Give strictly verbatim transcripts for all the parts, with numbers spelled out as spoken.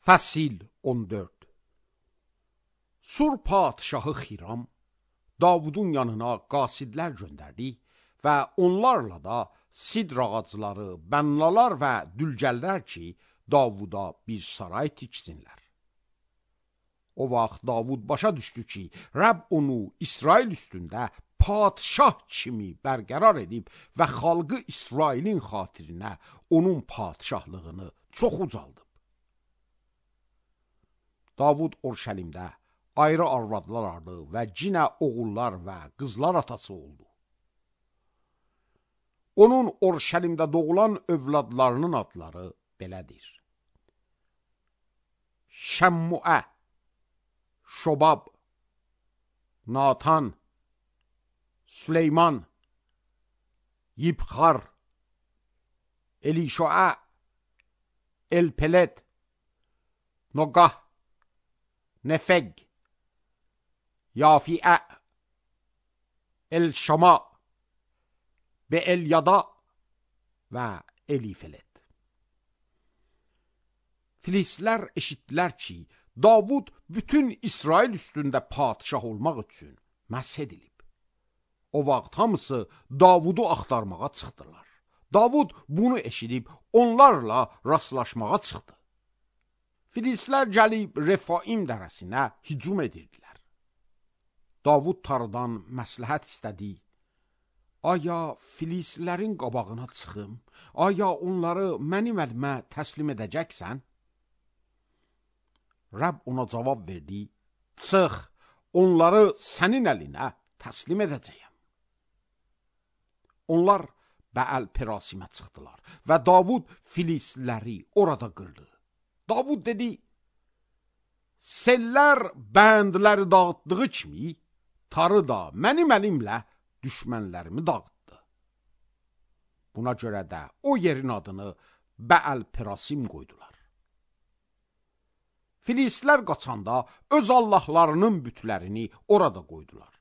Fəsil on dörd. Sur padşahı Xiram Davudun yanına qasidlər göndərdi və onlarla da sidr ağacları, bənnalar və dülgəllər ki, Davuda bir saray tiksinlər. O vaxt Davud başa düşdü ki, Rəbb onu İsrail üstündə padşah kimi bərqərar edib və xalqı İsrailin xatirinə onun padşahlığını çox ucaldıb. Davud Orşəlimdə ayrı arvadlar aldı və cinə oğullar və qızlar atası oldu. Onun Orşəlimdə doğulan övladlarının adları belədir: Şəmmuə, Şobab, Natan, Süleyman, Yibxar, Elişoə, Elpelet, Noqah, Nefeg, Yafiə, El-Şama, Be-El-Yada və Elifelet. Filistlər eşitdilər ki, Davud bütün İsrail üstündə padşah olmaq üçün məsh edilib. O vaxt hamısı Davudu axtarmağa çıxdılar. Davud bunu eşidib onlarla rastlaşmağa çıxdı. Filistlər gəlib Refaim dərəsinə hücum edirdilər. Davud tarıdan məsləhət istədi. Aya Filistlərin qabağına çıxım? Aya onları mənim əlimə təslim edəcəksən? Rəbb ona cavab verdi: Çıx, onları sənin əlinə təslim edəcəyəm. Onlar Bəəl-Perasimə çıxdılar və Davud Filistləri orada qırdı. Davud dedi: Sellər bəndləri dağıtdığı kimi, tarı da mənim əlimlə düşmənlərimi dağıtdı. Buna görə də o yerin adını Bəəl-Perasim qoydular. Filistlər qaçanda öz allahlarının bütlərini orada qoydular.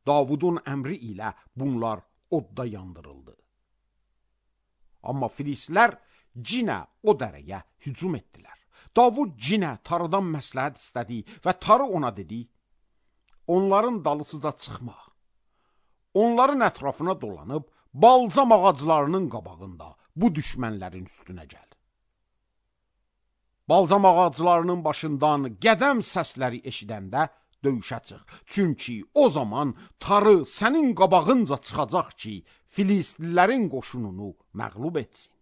Davudun əmri ilə bunlar odda yandırıldı. Amma Filistlər cinə o dərəyə hücum etdilər. Davud cinə tarıdan məsləhət istədi və tarı ona dedi: Onların dalısıca çıxma. Onların ətrafına dolanıb balzam ağaclarının qabağında bu düşmənlərin üstünə gəl. Balzam ağaclarının başından qədəm səsləri eşidəndə döyüşə çıx. Çünki o zaman tarı sənin qabağınca çıxacaq ki, Filistlilərin qoşununu məğlub etsin.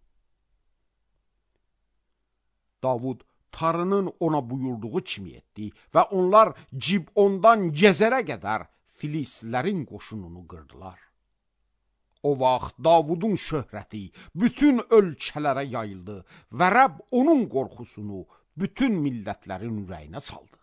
Davud tarının ona buyurduğu kimi etdi və onlar Cibondan Gezerə qədər Filistlilərin qoşununu qırdılar. O vaxt Davudun şöhrəti bütün ölkələrə yayıldı və Rəbb onun qorxusunu bütün millətlərin ürəyinə saldı.